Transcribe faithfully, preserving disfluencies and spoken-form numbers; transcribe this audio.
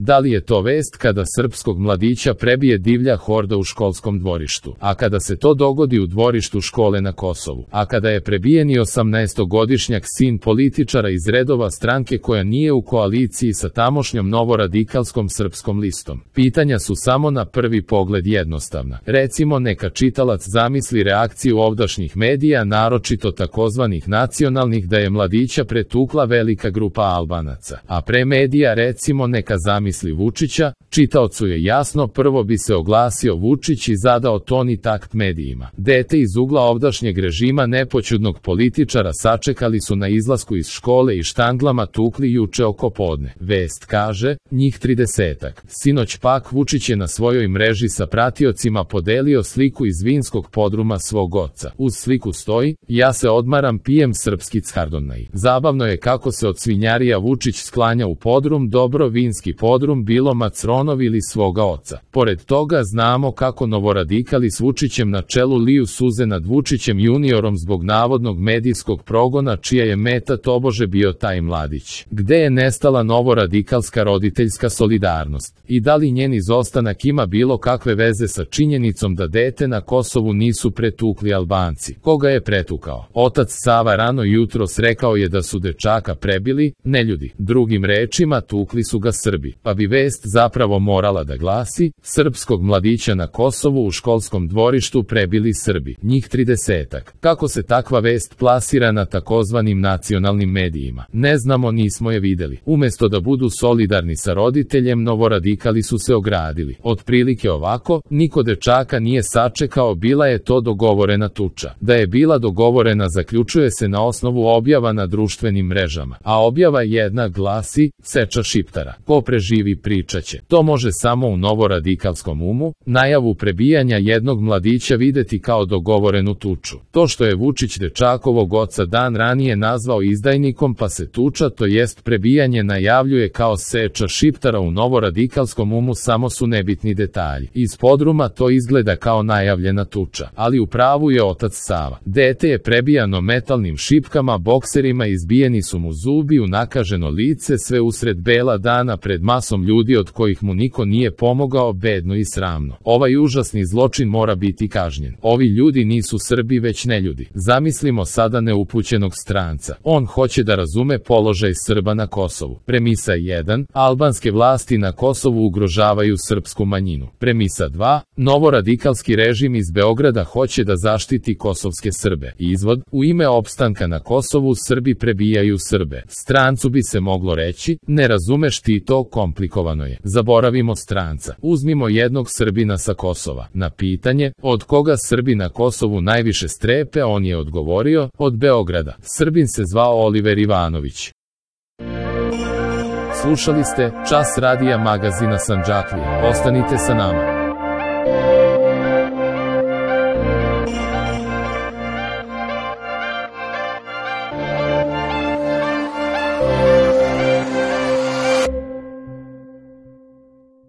Da li je to vest kada srpskog mladića prebije divlja horda u školskom dvorištu, a kada se to dogodi u dvorištu škole na Kosovu, a kada je prebijeni osamnaestogodišnjak sin političara iz redova stranke koja nije u koaliciji sa tamošnjom novoradikalskom Srpskom listom? Pitanja su samo na prvi pogled jednostavna. Recimo, neka čitalac zamisli reakciju ovdašnjih medija, naročito takozvanih nacionalnih, da je mladića pretukla velika grupa Albanaca, a pre medija recimo neka zamisli Vučića. Čitaocu je jasno, prvo bi se oglasio Vučić i zadao ton i takt medijima. Dete iz ugla ovdašnjeg režima nepoćudnog političara sačekali su na izlasku iz škole i štanglama tukli juče oko podne. Vest kaže, njih tridesetak. Sinoć pak Vučić je na svojoj mreži sa pratiocima podelio sliku iz vinskog podruma svog oca. Uz sliku stoji, ja se odmaram, pijem srpski Chardonnay. Zabavno je kako se od svinjarija Vučić sklanja u podrum, dobro vinski podrum, bilo Macronov ili svoga oca. Pored toga znamo kako novoradikali s Vučićem na čelu liju suze nad Vučićem juniorom zbog navodnog medijskog progona čija je meta tobože bio taj mladić. Gde je nestala novoradikalska roditeljska solidarnost? I da li njen izostanak ima bilo kakve veze sa činjenicom da dete na Kosovu nisu pretukli Albanci? Koga je pretukao? Otac Sava rano jutros rekao je da su dečaka prebili neljudi. Drugim rečima, tukli su ga Srbi. Pa bi vest zapravo morala da glasi, srpskog mladića na Kosovu u školskom dvorištu prebili Srbi. Njih tridesetak. Kako se takva vest plasira na takozvanim nacionalnim medijima? Ne znamo, nismo je videli. Umesto da budu solidarni sa roditeljem, novoradikali su se ogradili. Otprilike ovako, niko dečaka nije sačekao, bila je to dogovorena tuča. Da je bila dogovorena zaključuje se na osnovu objava na društvenim mrežama. A objava jedna glasi, seča Šiptara. Ko preživi pričaće. To može samo u novoradikalskom umu, najavu prebijanja jednog mladića videti kao dogovorenu tuču. To što je Vučić dečakovog oca dan ranije nazvao izdajnikom pa se tuča, to jest prebijanje, najavljuje kao seča Šiptara u novoradikalskom umu, samo su nebitni detalji. Iz podruma to izgleda kao najavljena tuča, ali u pravu je otac Sava. Dete je prebijano metalnim šipkama, bokserima izbijeni su mu zubi, unakaženo lice, sve usred bela dana pred masom ljudi od kojih mu niko nije pomogao, bedno i sramno. Ovaj užasni zločin mora biti kažnjen. Ovi ljudi nisu Srbi već neljudi. Zamislimo sada neupućenog stranca. On hoće da razume položaj Srba na Kosovu. Premisa jedan. Albanske vlasti na Kosovu ugrožavaju srpsku manjinu. Premisa dva. Novoradikalski režim iz Beograda hoće da zaštiti kosovske Srbe. Izvod. U ime opstanka na Kosovu Srbi prebijaju Srbe. Strancu bi se moglo reći, ne razumeš ti to, komplikovano je. Zaboravimo stranca. Uzmimo jednog Srbina sa Kosova. Na pitanje, od koga Srbi na Kosovu najviše strepe, on je odgovorio, od Beograda. Srbin se zvao Oliver Ivanović. Slušali ste Čas radija magazina Sandžaklije. Ostanite sa nama.